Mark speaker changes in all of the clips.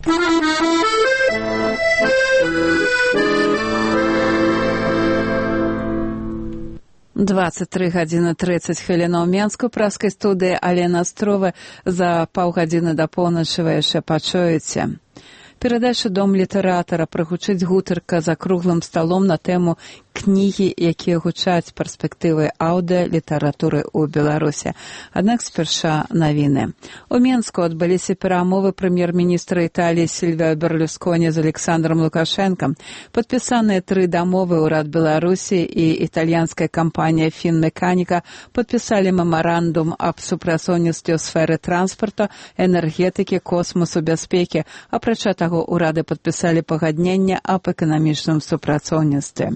Speaker 1: (23:30 у Менску, праскай студыі Алена Астрова. За паўгадзіны да поўначы вы яшчэ пачуеце. Перадача «Дом літаратара» прагучыць гутарка за круглым сталом на тэму кнігі, якія гучаць перспектывы аўдыалітаратуры ў Беларусі. Аднак спярша навіны. У Менску адбыліся перамовы прэм'ер-міністра Італіі Сільвіо Берлусконі з Александром Лукашэнкам. Падпісаныя 3 дамовы ўрад Беларусі і італьянская кампанія «Фінмеканіка» падпісалі мемарандум аб супрацоўніцтве ў сферы транспарту, энергетыкі, космосу, бяспекі. Апрача таго, урады падпісалі пагадненне аб эканамічным супрацоўніцтве.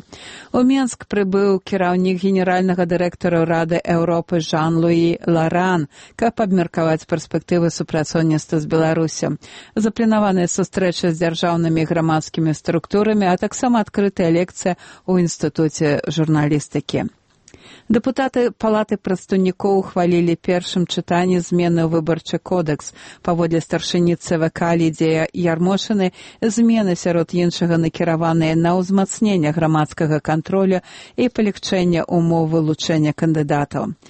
Speaker 1: У Менск прыбыў кіраўнік генеральнага дырэктара ўрады Еўропы Жан-Луі Ларан, каб абмеркаваць перспектывы супрацоўніцтва з Беларусю. Запланаваныя сустрэчы з дзяржаўнымі і грамадскімі структурамі, а таксама адкрытая лекцыя ў інстытуце журналістыкі. Дэпутаты Палаты прадстаўнікоў ухвалілі першым чытанні змены ў выбарчы кодекс. Паводле старшыні ЦВК Лідзія Ярмошыны, змены сярод іншага накіраваныя на ўзмацненне грамадскага кантролю і палягчэнне умоў вылучэння кандыдатаў.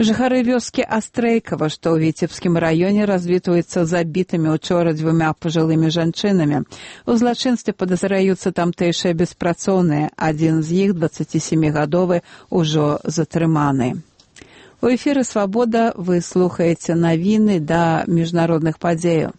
Speaker 1: Жыхары вёскі Астрэйкава, што ў Віцебскім раёне, развітваюцца забітымі учора 2 пажылымі жанчынамі. У злачынстве падазраюцца тамтэйшыя беспрацоўныя. Адзін з іх, 27гадовы, ужо затрыманы. У эфіры «Свабода» вы слухаеце навіны да міжнародных падзеяў.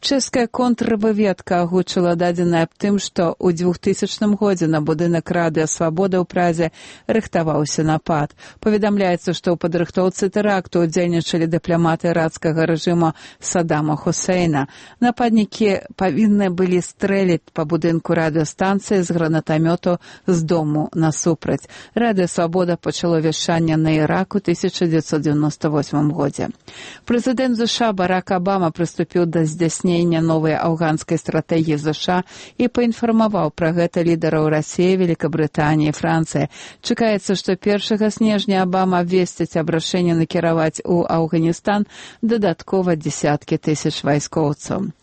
Speaker 1: Чэшская контрвыведка агучыла дадзеныя аб тым, што ў 2000 годзе на будынак радыё «Свабода» ў Празе рыхтаваўся напад. Паведамляецца, што ў падрыхтоўцы тэракту удзельнічалі дыпламаты іракскага рэжыму Саддама Хусейна. Нападнікі павінны былі стрэліць па будынку радыёстанцыі з гранатамёту з дому насупраць. Радыё «Свабода» пачало вяшчанне на Ірак у 1998 годзе. Прэзідэнт США Барак Абама прыступіў да здзяйснення новай афганскай стратэгіі ЗША і паінфармаваў пра гэта лідараў Расіі, Великабрытаніі і Францыі. Чакаецца, што 1 снежня Абама абвесціць аб рашэнні накіраваць у Афганістан дадаткова дзесяткі тысяч вайскоўцаў.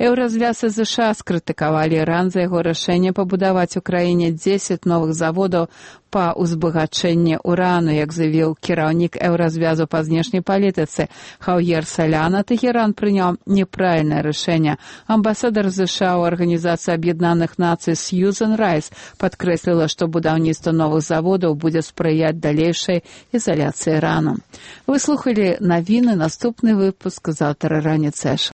Speaker 1: Еўразвяз ЗША скрытыкавалі Іран за яго рашэнне пабудаваць у краіне 10 новых заводаў па ўзбагачэнні урану, як заявіў кіраўнік Еўразвязу па знешняй палітыцы Хаўер Саляна. Тэхеран прыняў неправільнае рашэнне. Амбасадар ЗША ў Арганізацыі Аб'яднаных Нацый Сьюзен Райс падкрэсліла, што будаўніцтва новых заводаў будзе спрыяць далейшай ізаляцыі Ірану. Вы слухалі навіны, наступны выпуск заўтра раніцай.